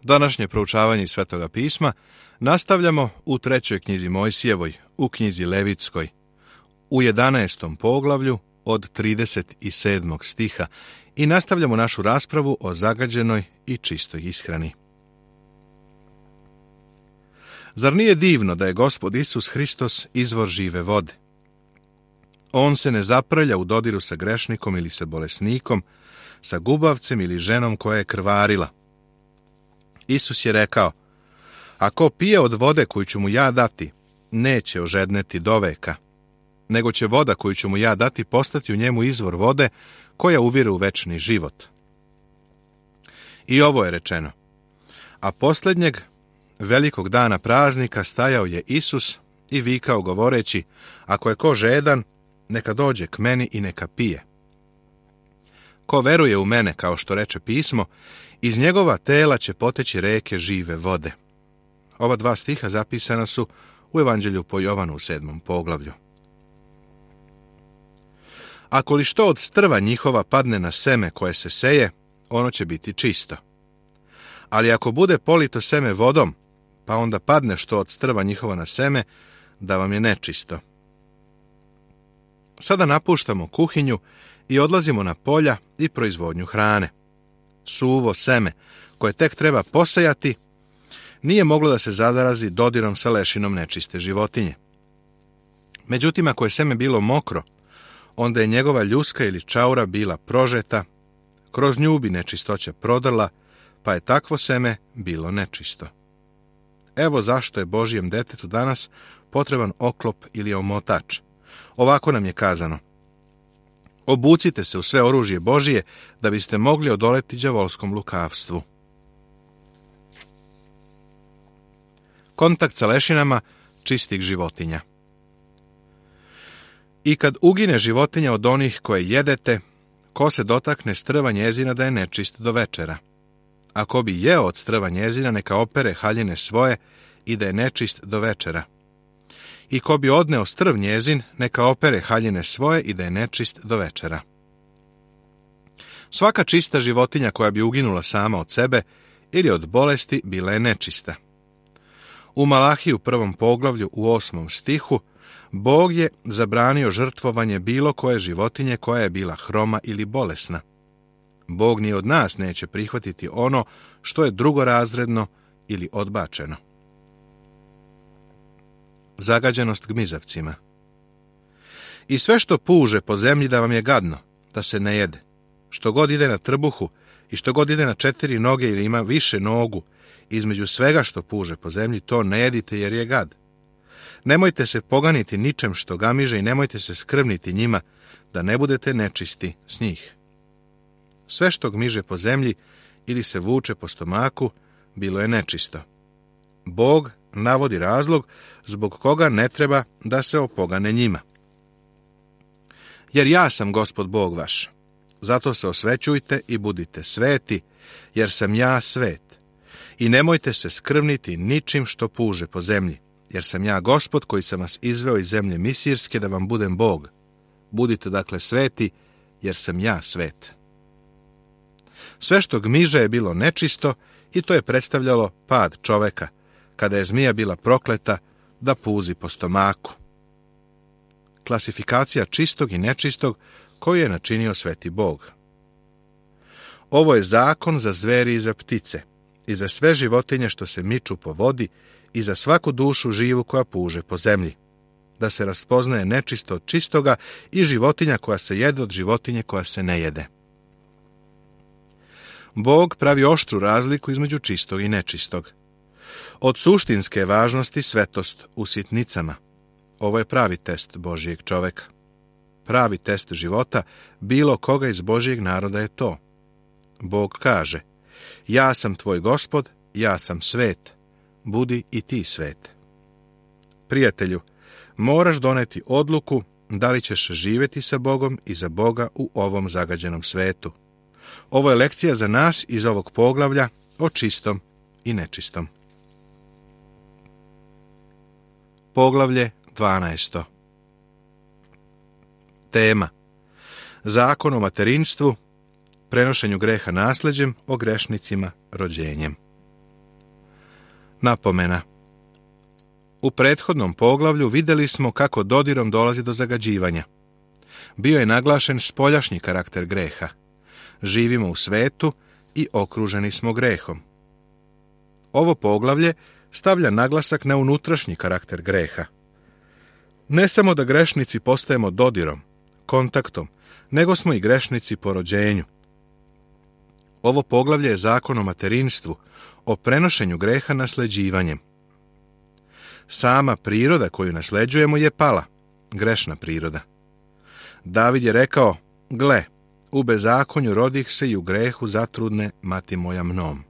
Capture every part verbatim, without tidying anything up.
Današnje proučavanje Svetoga pisma nastavljamo u trećoj knjizi Mojsijevoj, u knjizi Levitskoj, u jedanaestom poglavlju od trideset sedmog stiha i nastavljamo našu raspravu o zagađenoj i čistoj ishrani. Zar nije divno da je Gospod Isus Hristos izvor žive vode? On se ne zaprlja u dodiru sa grešnikom ili sa bolesnikom, sa gubavcem ili ženom koja je krvarila. Isus je rekao, ako pije od vode koju ću mu ja dati, neće ožedneti doveka, nego će voda koju ću mu ja dati postati u njemu izvor vode koja uvire u večni život. I ovo je rečeno. A posljednjeg velikog dana praznika stajao je Isus i vikao govoreći, ako je ko žedan, neka dođe k meni i neka pije. Ko veruje u mene, kao što reče pismo, iz njegova tela će poteći reke žive vode. Ova dva stiha zapisana su u Evanđelju po Jovanu u sedmom poglavlju. Ako li što od strva njihova padne na seme koje se seje, ono će biti čisto. Ali ako bude polito seme vodom, pa onda padne što od strva njihova na seme, da vam je nečisto. Sada napuštamo kuhinju i odlazimo na polja i proizvodnju hrane. Suvo seme, koje tek treba posejati, nije moglo da se zadarazi dodirom sa lešinom nečiste životinje. Međutim, ako je seme bilo mokro, onda je njegova ljuska ili čaura bila prožeta, kroz nju bi nečistoća prodrla, pa je takvo seme bilo nečisto. Evo zašto je Božjem detetu danas potreban oklop ili omotač. Ovako nam je kazano. Obucite se u sve oružje Božije da biste mogli odoleti đavolskom lukavstvu. Kontakt sa lešinama čistih životinja. I kad ugine životinja od onih koje jedete, ko se dotakne strva njezina da je nečist do večera. A ko bi jeo od strva njezina, neka opere haljine svoje i da je nečist do večera. I ko bi odneo strv njezin, neka opere haljine svoje i da je nečist do večera. Svaka čista životinja koja bi uginula sama od sebe ili od bolesti bila je nečista. U Malahiji u prvom poglavlju u osmom stihu Bog je zabranio žrtvovanje bilo koje životinje koja je bila hroma ili bolesna. Bog ni od nas neće prihvatiti ono što je drugorazredno ili odbačeno. Zagađenost gmizavcima. I sve što puže po zemlji da vam je gadno, da se ne jede. Što god ide na trbuhu i što god ide na četiri noge ili ima više nogu, između svega što puže po zemlji, to ne jedite jer je gad. Nemojte se poganiti ničem što gamiže i nemojte se skrvniti njima, da ne budete nečisti s njih. Sve što gmiže po zemlji ili se vuče po stomaku, bilo je nečisto. Bog navodi razlog zbog koga ne treba da se opogane njima. Jer ja sam Gospod Bog vaš, zato se osvećujte i budite sveti, jer sam ja svet. I nemojte se skrvniti ničim što puže po zemlji, jer sam ja Gospod koji sam vas izveo iz zemlje Misirske da vam budem Bog. Budite dakle sveti, jer sam ja svet. Sve što gmiže je bilo nečisto i to je predstavljalo pad čoveka, kada je zmija bila prokleta da puzi po stomaku. Klasifikacija čistog i nečistog koju je načinio sveti Bog. Ovo je zakon za zveri i za ptice, i za sve životinje što se miču po vodi, i za svaku dušu živu koja puže po zemlji, da se raspoznaje nečisto od čistoga i životinja koja se jede od životinje koja se ne jede. Bog pravi oštru razliku između čistog i nečistog. Od suštinske važnosti svetost u sitnicama. Ovo je pravi test Božijeg čoveka. Pravi test života bilo koga iz Božijeg naroda je to. Bog kaže, ja sam tvoj Gospod, ja sam svet, budi i ti svet. Prijatelju, moraš doneti odluku da li ćeš živjeti sa Bogom i za Boga u ovom zagađenom svetu. Ovo je lekcija za nas iz ovog poglavlja o čistom i nečistom. Poglavlje dvanaesto. Tema: Zakon o materinstvu, prenošenju greha nasleđem, o grešnicima rođenjem. Napomena. U prethodnom poglavlju vidjeli smo kako dodirom dolazi do zagađivanja. Bio je naglašen spoljašnji karakter greha. Živimo u svetu i okruženi smo grehom. Ovo poglavlje stavlja naglasak na unutrašnji karakter greha. Ne samo da grešnici postajemo dodirom, kontaktom, nego smo i grešnici po rođenju. Ovo poglavlje je zakon o materinstvu, o prenošenju greha nasljeđivanjem. Sama priroda koju nasljeđujemo je pala, grešna priroda. David je rekao, gle, u bezakonju rodih se i u grehu zatrudne mati moja mnom.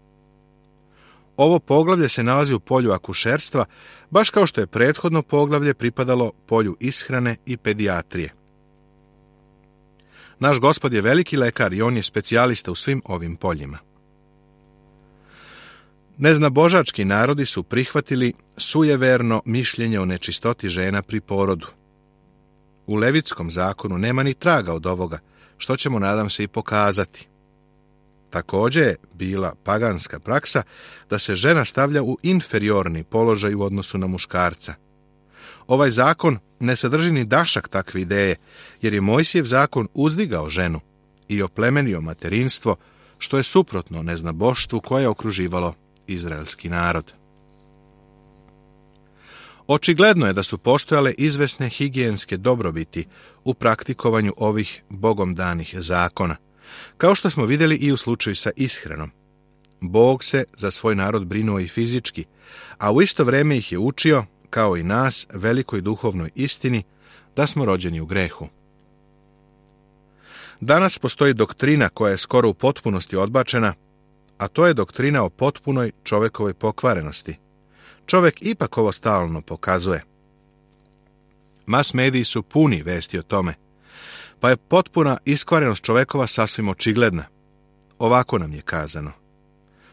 Ovo poglavlje se nalazi u polju akušerstva, baš kao što je prethodno poglavlje pripadalo polju ishrane i pedijatrije. Naš Gospod je veliki lekar i on je specijalista u svim ovim poljima. Neznabožački narodi su prihvatili sujeverno mišljenje o nečistoti žena pri porodu. U Levitskom zakonu nema ni traga od ovoga, što ćemo, nadam se, i pokazati. Također je bila paganska praksa da se žena stavlja u inferiorni položaj u odnosu na muškarca. Ovaj zakon ne sadrži ni dašak takve ideje, jer je Mojsijev zakon uzdigao ženu i oplemenio materinstvo, što je suprotno neznaboštvu koje je okruživalo izraelski narod. Očigledno je da su postojale izvesne higijenske dobrobiti u praktikovanju ovih bogom danih zakona, kao što smo vidjeli i u slučaju sa ishranom. Bog se za svoj narod brinuo i fizički, a u isto vrijeme ih je učio, kao i nas, velikoj duhovnoj istini, da smo rođeni u grehu. Danas postoji doktrina koja je skoro u potpunosti odbačena, a to je doktrina o potpunoj čovjekovoj pokvarenosti. Čovjek ipak ovo stalno pokazuje. Mas mediji su puni vesti o tome, pa je potpuna iskvarenost čovjekova sasvim očigledna. Ovako nam je kazano.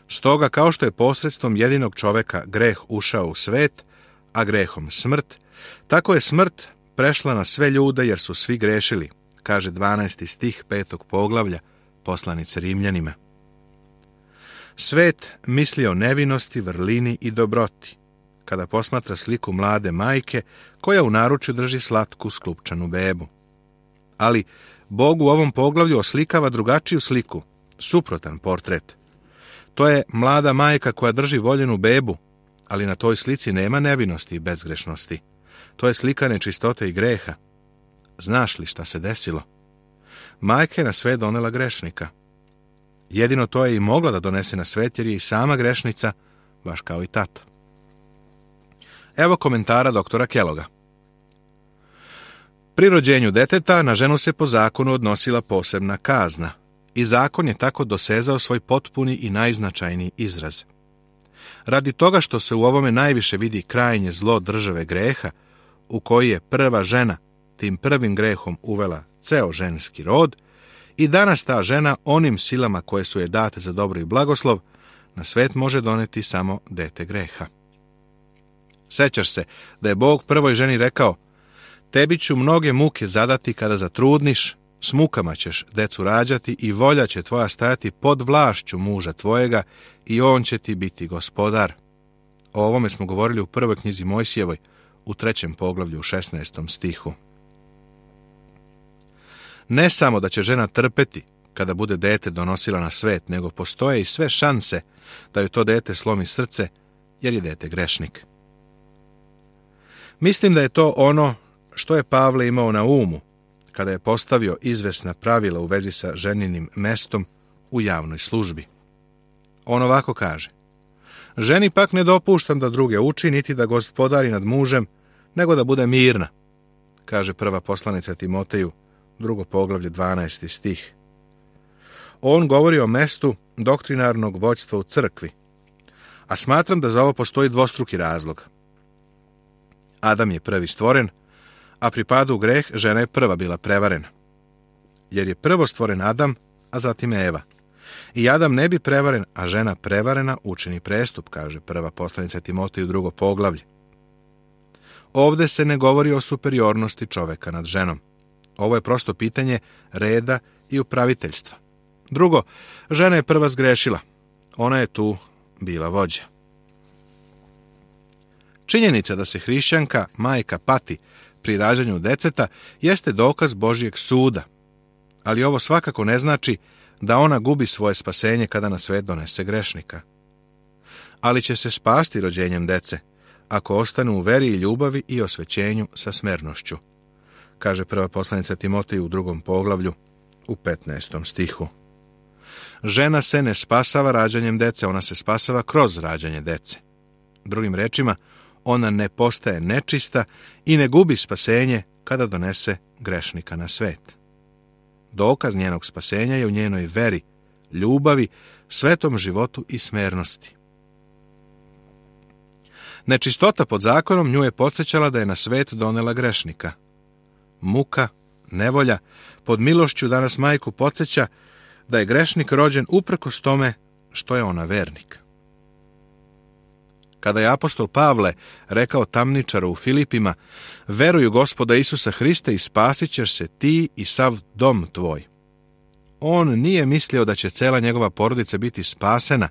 Stoga, kao što je posredstvom jedinog čovjeka greh ušao u svet, a grehom smrt, tako je smrt prešla na sve ljude jer su svi grešili, kaže dvanaesti stih petog poglavlja poslanice Rimljanima. Svet misli o nevinosti, vrlini i dobroti, kada posmatra sliku mlade majke koja u naručju drži slatku sklupčanu bebu. Ali Bog u ovom poglavlju oslikava drugačiju sliku, suprotan portret. To je mlada majka koja drži voljenu bebu, ali na toj slici nema nevinosti i bezgrešnosti. To je slika nečistote i greha. Znaš li šta se desilo? Majka je na svet donela grešnika. Jedino to je i mogla da donese na svet jer je i sama grešnica, baš kao i tata. Evo komentara doktora Kelloga. Pri rođenju deteta na ženu se po zakonu odnosila posebna kazna i zakon je tako dosezao svoj potpuni i najznačajniji izraz. Radi toga što se u ovome najviše vidi krajnje zlo države greha, u koji je prva žena tim prvim grehom uvela ceo ženski rod, i danas ta žena onim silama koje su je date za dobro i blagoslov na svet može doneti samo dete greha. Sećaš se da je Bog prvoj ženi rekao: tebi ću mnoge muke zadati kada zatrudniš, s mukama ćeš decu rađati i volja će tvoja stajati pod vlašću muža tvojega i on će ti biti gospodar. O ovome smo govorili u prvoj knjizi Mojsijevoj, u trećem poglavlju u šesnaestom stihu. Ne samo da će žena trpeti kada bude dete donosila na svet, nego postoje i sve šanse da joj to dete slomi srce, jer je dete grešnik. Mislim da je to ono što je Pavle imao na umu kada je postavio izvesna pravila u vezi sa ženinim mestom u javnoj službi. On ovako kaže: ženi pak ne dopuštam da druge uči, niti da gospodari nad mužem, nego da bude mirna, kaže prva poslanica Timoteju, drugo poglavlje, dvanaesti stih. On govori o mestu doktrinarnog vođstva u crkvi, a smatram da za ovo postoji dvostruki razlog. Adam je prvi stvoren, a pri padu u greh žena je prva bila prevarena. Jer je prvo stvoren Adam, a zatim Eva. I Adam ne bi prevaren, a žena prevarena učini prestup, kaže prva poslanica Timoteju, drugo poglavlje. Ovde se ne govori o superiornosti čoveka nad ženom. Ovo je prosto pitanje reda i upraviteljstva. Drugo, žena je prva zgrešila. Ona je tu bila vođa. Činjenica da se hrišćanka, majka, pati pri rađanju deceta jeste dokaz Božjeg suda, ali ovo svakako ne znači da ona gubi svoje spasenje kada na svet donese grešnika. Ali će se spasti rođenjem dece, ako ostanu u veri i ljubavi i osvećenju sa smernošću, kaže prva poslanica Timoteju u drugom poglavlju u petnaestom stihu. Žena se ne spasava rađanjem dece, ona se spasava kroz rađanje dece. Drugim rečima, ona ne postaje nečista i ne gubi spasenje kada donese grešnika na svet. Dokaz njenog spasenja je u njenoj veri, ljubavi, svetom životu i smernosti. Nečistota pod zakonom nju je podsjećala da je na svet donela grešnika. Muka, nevolja, pod milošću danas majku podsjeća da je grešnik rođen uprkos tome što je ona vernik. Kada je apostol Pavle rekao tamničaru u Filipima, veruj u Gospoda Isusa Hrista i spasit ćeš se ti i sav dom tvoj. On nije mislio da će cela njegova porodica biti spasena,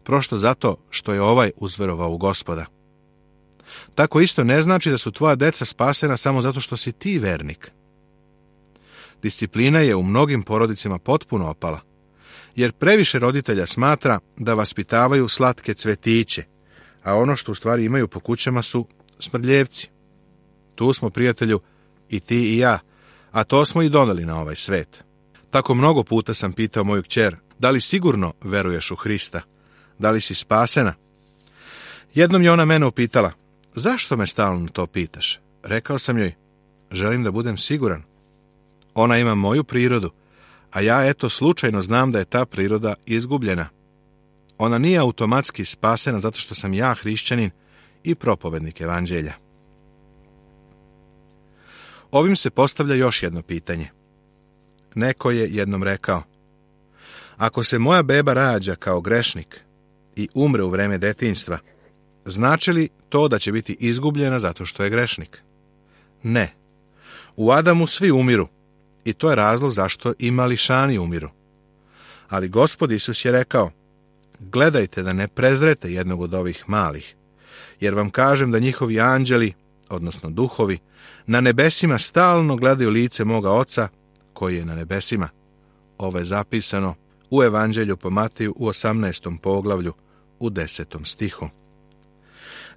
prosto zato što je ovaj uzverovao u Gospoda. Tako isto ne znači da su tvoja deca spasena samo zato što si ti vernik. Disciplina je u mnogim porodicama potpuno opala, jer previše roditelja smatra da vaspitavaju slatke cvetiće, a ono što u stvari imaju po kućama su smrdljevci. Tu smo, prijatelju, i ti i ja, a to smo i doneli na ovaj svet. Tako mnogo puta sam pitao moju kćer, da li sigurno veruješ u Hrista? Da li si spasena? Jednom je ona mene upitala, zašto me stalno to pitaš? Rekao sam joj, želim da budem siguran. Ona ima moju prirodu, a ja eto slučajno znam da je ta priroda izgubljena. Ona nije automatski spasena zato što sam ja hrišćanin i propovednik evanđelja. Ovim se postavlja još jedno pitanje. Neko je jednom rekao, ako se moja beba rađa kao grešnik i umre u vreme detinjstva, znači li to da će biti izgubljena zato što je grešnik? Ne. U Adamu svi umiru i to je razlog zašto i mališani umiru. Ali Gospod Isus je rekao, gledajte da ne prezrete jednog od ovih malih, jer vam kažem da njihovi anđeli, odnosno duhovi, na nebesima stalno gledaju lice moga Oca koji je na nebesima. Ovo je zapisano u Evanđelju po Mateju u osamnaestom poglavlju u desetom stihu.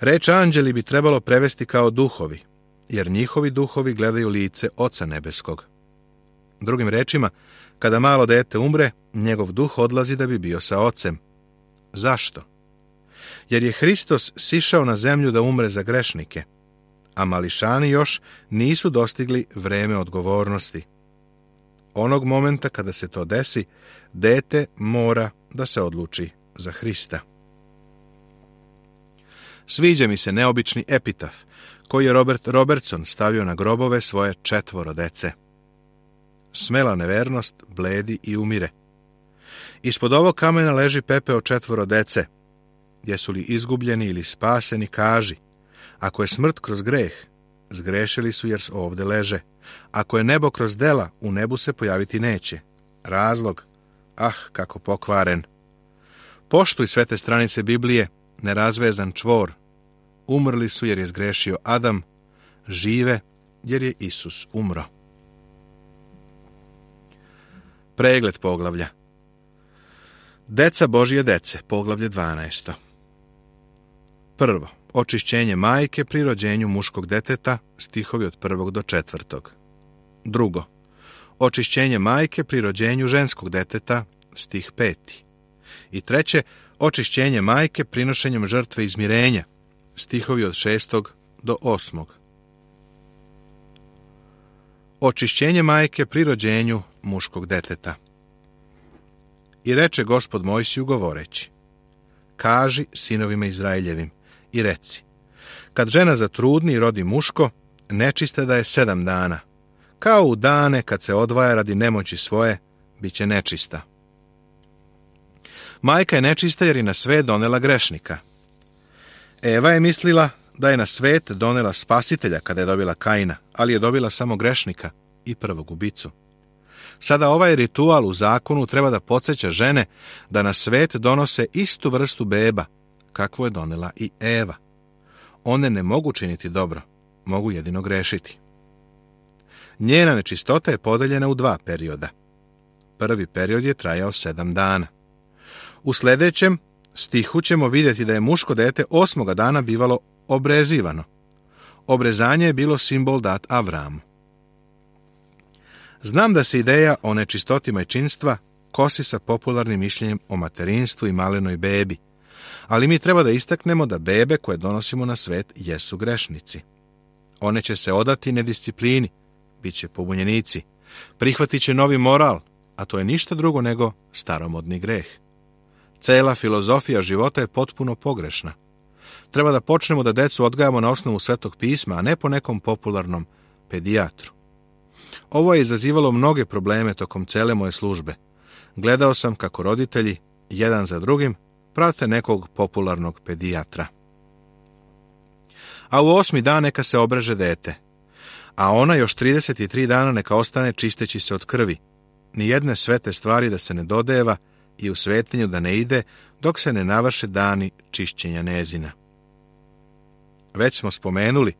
Reč anđeli bi trebalo prevesti kao duhovi, jer njihovi duhovi gledaju lice Oca nebeskog. Drugim rečima, kada malo dete umre, njegov duh odlazi da bi bio sa Ocem. Zašto? Jer je Hristos sišao na zemlju da umre za grešnike, a mališani još nisu dostigli vreme odgovornosti. Onog momenta kada se to desi, dete mora da se odluči za Hrista. Sviđa mi se neobični epitaf koji je Robert Robertson stavio na grobove svoje četvoro dece. Smela nevernost bledi i umire. Ispod ovog kamena leži pepeo četvoro dece. Jesu li izgubljeni ili spaseni, kaži. Ako je smrt kroz greh, zgrešili su jer ovde leže. Ako je nebo kroz dela, u nebu se pojaviti neće. Razlog, ah, kako pokvaren. Poštuj sve te stranice Biblije, nerazvezan čvor. Umrli su jer je zgrešio Adam, žive jer je Isus umro. Pregled poglavlja. Deca Božje dece, poglavlje dvanaesto. Prvo, očišćenje majke pri rođenju muškog deteta, stihovi od prvog do četvrtog. Drugo, očišćenje majke pri rođenju ženskog deteta, stih peti. I treće, očišćenje majke prinošenjem žrtve izmirenja, stihovi od šestog do osmog. Očišćenje majke pri rođenju muškog deteta. I reče Gospod Mojsiju govoreći, kaži sinovima Izraeljevim i reci, kad žena zatrudni i rodi muško, nečista da je sedam dana, kao u dane kad se odvaja radi nemoći svoje, bit će nečista. Majka je nečista jer je na svet donela grešnika. Eva je mislila da je na svet donela spasitelja kada je dobila Kaina, ali je dobila samo grešnika i prvog ubicu. Sada ovaj ritual u zakonu treba da podsjeća žene da na svet donose istu vrstu beba, kakvu je donela i Eva. one ne mogu činiti dobro, mogu jedino grešiti. Njena nečistota je podeljena u dva perioda. Prvi period je trajao sedam dana. U sljedećem stihu ćemo vidjeti da je muško dete osmoga dana bivalo obrezivano. Obrezanje je bilo simbol dat Avramu. Znam da se ideja o nečistoti majčinstva kosi sa popularnim mišljenjem o materinstvu i malenoj bebi, ali mi treba da istaknemo da bebe koje donosimo na svet jesu grešnici. One će se odati nedisciplini, bit će pobunjenici, prihvatit će novi moral, a to je ništa drugo nego staromodni greh. Cela filozofija života je potpuno pogrešna. Treba da počnemo da decu odgajamo na osnovu Svetog pisma, a ne po nekom popularnom pedijatru. Ovo je izazivalo mnoge probleme tokom cele moje službe. Gledao sam kako roditelji, jedan za drugim, prate nekog popularnog pedijatra. A u osmi dan neka se obreže dete, a ona još trideset tri dana neka ostane čisteći se od krvi, ni jedne svete stvari da se ne dodeva i u svetinju da ne ide dok se ne navrše dani čišćenja njezina. Već smo spomenuli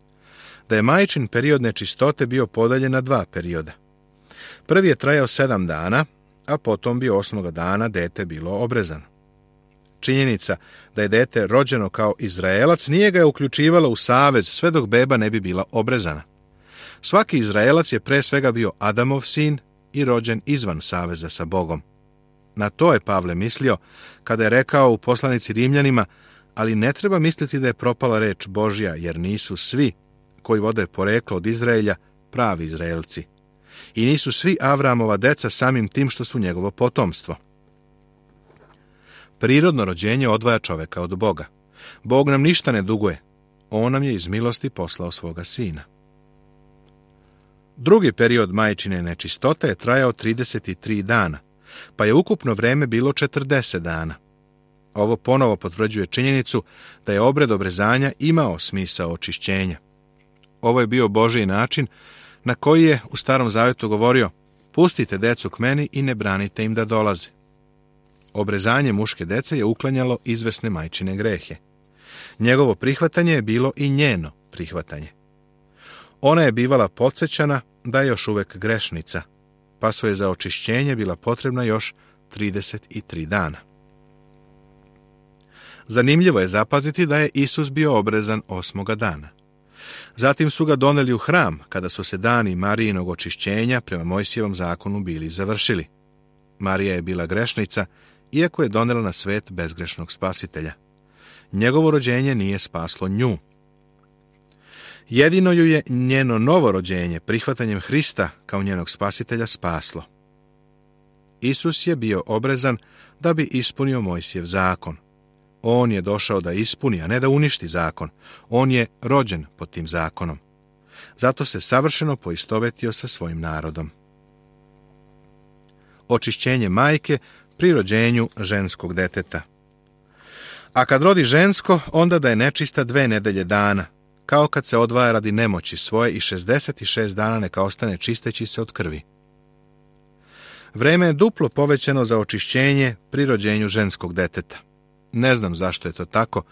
da je majčin period nečistote bio podeljen na dva perioda. Prvi je trajao sedam dana, a potom bi osmoga dana dete bilo obrezano. Činjenica da je dete rođeno kao Izraelac nije ga je uključivala u savez sve dok beba ne bi bila obrezana. Svaki Izraelac je pre svega bio Adamov sin i rođen izvan saveza sa Bogom. Na to je Pavle mislio kada je rekao u poslanici Rimljanima, ali ne treba misliti da je propala reč Božja, jer nisu svi koji vode poreklo od Izraelja pravi Izraelci. I nisu svi Avramova deca samim tim što su njegovo potomstvo. Prirodno rođenje odvaja čoveka od Boga. Bog nam ništa ne duguje. On nam je iz milosti poslao svoga sina. Drugi period majčine nečistote je trajao trideset tri dana, pa je ukupno vreme bilo četrdeset dana. Ovo ponovo potvrđuje činjenicu da je obred obrezanja imao smisao očišćenja. Ovo je bio Božji način na koji je u Starom Zavetu govorio: pustite decu k meni i ne branite im da dolaze. Obrezanje muške dece je uklanjalo izvesne majčine grehe. Njegovo prihvatanje je bilo i njeno prihvatanje. Ona je bivala podsjećana da je još uvek grešnica, pa su je za očišćenje bila potrebna još trideset tri dana. Zanimljivo je zapaziti da je Isus bio obrezan osmoga dana. Zatim su ga doneli u hram, kada su se dani Marijinog očišćenja prema Mojsijevom zakonu bili završili. Marija je bila grešnica, iako je donela na svet bezgrešnog spasitelja. Njegovo rođenje nije spaslo nju. Jedino ju je njeno novo rođenje prihvatanjem Hrista kao njenog spasitelja spaslo. Isus je bio obrezan da bi ispunio Mojsijev zakon. On je došao da ispuni, a ne da uništi zakon. On je rođen pod tim zakonom. Zato se savršeno poistovetio sa svojim narodom. Očišćenje majke pri rođenju ženskog deteta. A kad rodi žensko, onda da je nečista dve nedelje dana, kao kad se odvaja radi nemoći svoje, i šezdeset šest dana neka ostane čisteći se od krvi. Vreme je duplo povećano za očišćenje pri rođenju ženskog deteta. Ne znam zašto je to tako,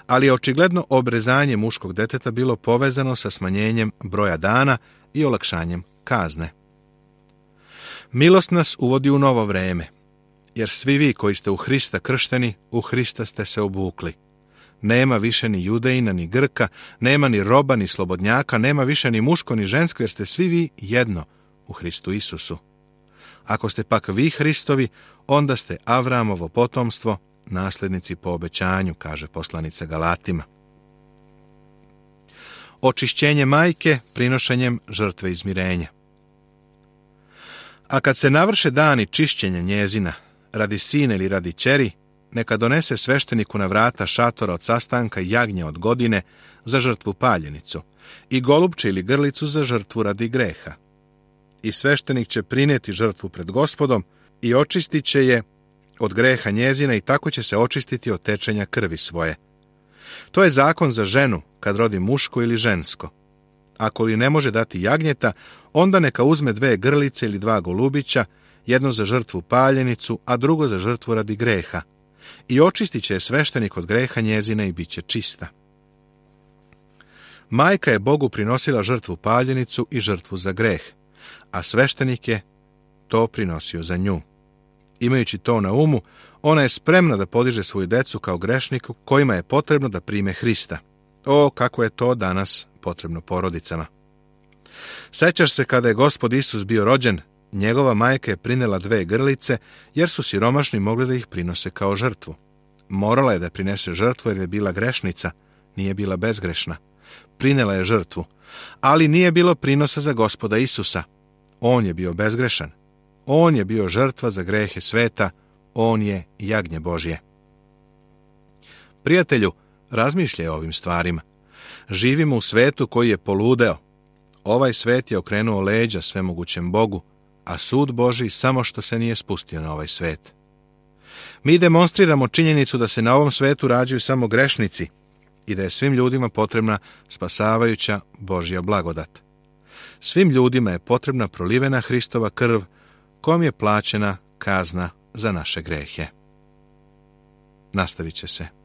ali je očigledno obrezanje muškog deteta bilo povezano sa smanjenjem broja dana i olakšanjem kazne. Milost nas uvodi u novo vreme, jer svi vi koji ste u Hrista kršteni, u Hrista ste se obukli. Nema više ni Judejina, ni Grka, nema ni roba, ni slobodnjaka, nema više ni muško, ni žensko, jer ste svi vi jedno u Hristu Isusu. Ako ste pak vi Hristovi, onda ste Avramovo potomstvo, nasljednici po obećanju, kaže poslanica Galatima. Očišćenje majke prinošenjem žrtve izmirenja. A kad se navrše dani čišćenja njezina, radi sina ili radi ćeri, neka donese svešteniku na vrata šatora od sastanka jagnje od godine za žrtvu paljenicu i golubče ili grlicu za žrtvu radi greha. I sveštenik će prinijeti žrtvu pred Gospodom i očistit će je od greha njezina i tako će se očistiti od tečenja krvi svoje. To je zakon za ženu kad rodi muško ili žensko. Ako li ne može dati jagnjeta, onda neka uzme dve grlice ili dva golubića, jedno za žrtvu paljenicu, a drugo za žrtvu radi greha. I očistit će je sveštenik od greha njezina i bit će čista. Majka je Bogu prinosila žrtvu paljenicu i žrtvu za greh, a sveštenik je to prinosio za nju. Imajući to na umu, ona je spremna da podiže svoju decu kao grešniku kojima je potrebno da prime Hrista. O, kako je to danas potrebno porodicama. Sećaš se kada je Gospod Isus bio rođen, njegova majka je prinela dve grlice, jer su siromašni mogli da ih prinose kao žrtvu. Morala je da prinese žrtvu jer je bila grešnica, nije bila bezgrešna. Prinela je žrtvu, ali nije bilo prinosa za Gospoda Isusa. On je bio bezgrešan. On je bio žrtva za grehe sveta, on je jagnje Božje. Prijatelju, razmišljaj o ovim stvarima. Živimo u svetu koji je poludeo. Ovaj svet je okrenuo leđa svemogućem Bogu, a sud Božji samo što se nije spustio na ovaj svet. Mi demonstriramo činjenicu da se na ovom svetu rađaju samo grešnici i da je svim ljudima potrebna spasavajuća Božja blagodat. Svim ljudima je potrebna prolivena Hristova krv, kojom je plaćena kazna za naše grehe. Nastavit će se.